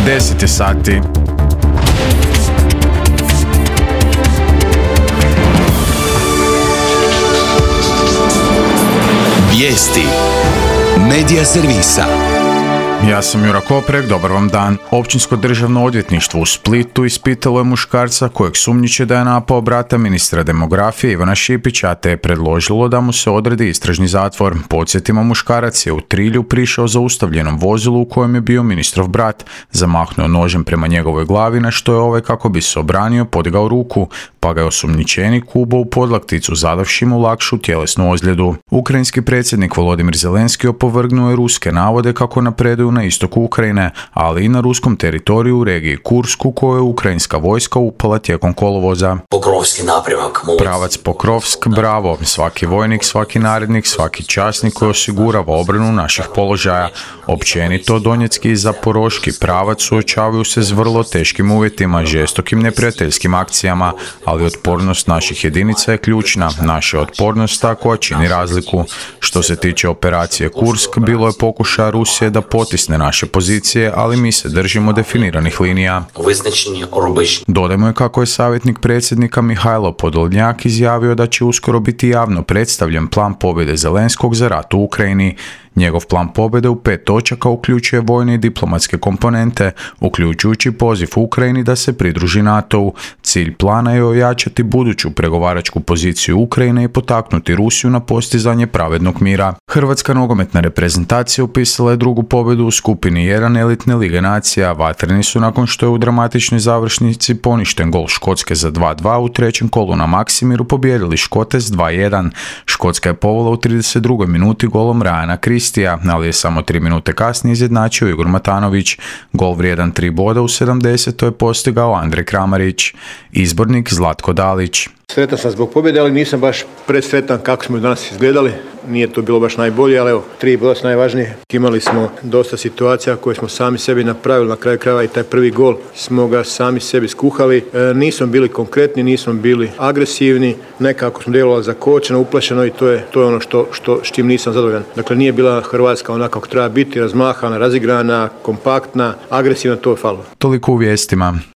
10 sati. Vijesti Medija servisa. Ja sam Jura Koprek, dobar vam dan. Općinsko državno odvjetništvo u Splitu ispitalo je muškarca kojeg sumnjiče da je napao brata ministra demografije Ivana Šipića, te je predložilo da mu se odredi istražni zatvor. Podsjetimo, muškarac je u Trilju prišao zaustavljenom vozilu u kojem je bio ministrov brat, zamahnuo nožem prema njegovoj glavi, na što je ovaj, kako bi se obranio, podigao ruku, pa ga je osumnjičenik ubao u podlakticu, zadavši mu lakšu tjelesnu ozljedu. Ukrajinski predsjednik Volodimir Zelenski opovrgnuo je ruske navode kako napreduju na istoku Ukrajine, ali i na ruskom teritoriju u regiji Kursku, koju je ukrajinska vojska upala tijekom kolovoza. Pokrovski napremak. Pravac Pokrovsk, bravo. Svaki vojnik, svaki narednik, svaki časnik koji osigurava obranu naših položaja. Općenito, Donjecki i Zaporoški pravac suočavaju se s vrlo teškim uvjetima, žestokim neprijateljskim akcijama, ali otpornost naših jedinica je ključna. Naša otpornost ta koja čini razliku. Što se tiče operacije Kursk, bilo je pokušaja Rusije da potisne naše pozicije, ali mi se držimo definiranih linija. Dodajmo je kako je savjetnik predsjednika Mihajlo Podolnjak izjavio da će uskoro biti javno predstavljen plan pobjede Zelenskog za rat u Ukrajini. Njegov plan pobjede u 5 točaka uključuje vojne i diplomatske komponente, uključujući poziv Ukrajini da se pridruži NATO-u. Cilj plana je ojačati buduću pregovaračku poziciju Ukrajine i potaknuti Rusiju na postizanje pravednog mira. Hrvatska nogometna reprezentacija upisala je drugu pobjedu u skupini 1 elitne lige nacija. Vatreni su, nakon što je u dramatičnoj završnici poništen gol Škotske za 2:2 u trećem kolu na Maksimiru, pobijedili Škote s 2:1. Škotska je povela u 32. minuti golom Ryana Christija, ali je samo 3 minute kasnije izjednačio Igor Matanović. Gol vrijedan 3 boda u 70. je postigao Andrej Kramarić. Izbornik Zlatko Dalić. Sretan sam zbog pobjede, ali nisam baš presretan kako smo danas izgledali. Nije to bilo baš najbolje, ali evo, 3 boda su najvažnije. Imali smo dosta situacija koje smo sami sebi napravili, na kraju krajeva i taj prvi gol smo ga sami sebi skuhali. Nismo bili konkretni, nismo bili agresivni, nekako smo djelovali zakočeno, uplašeno i to je ono s čim nisam zadovoljan. Dakle, nije bila Hrvatska onako kako treba biti, razmahana, razigrana, kompaktna, agresivna, to je falilo. Toliko u vijestima.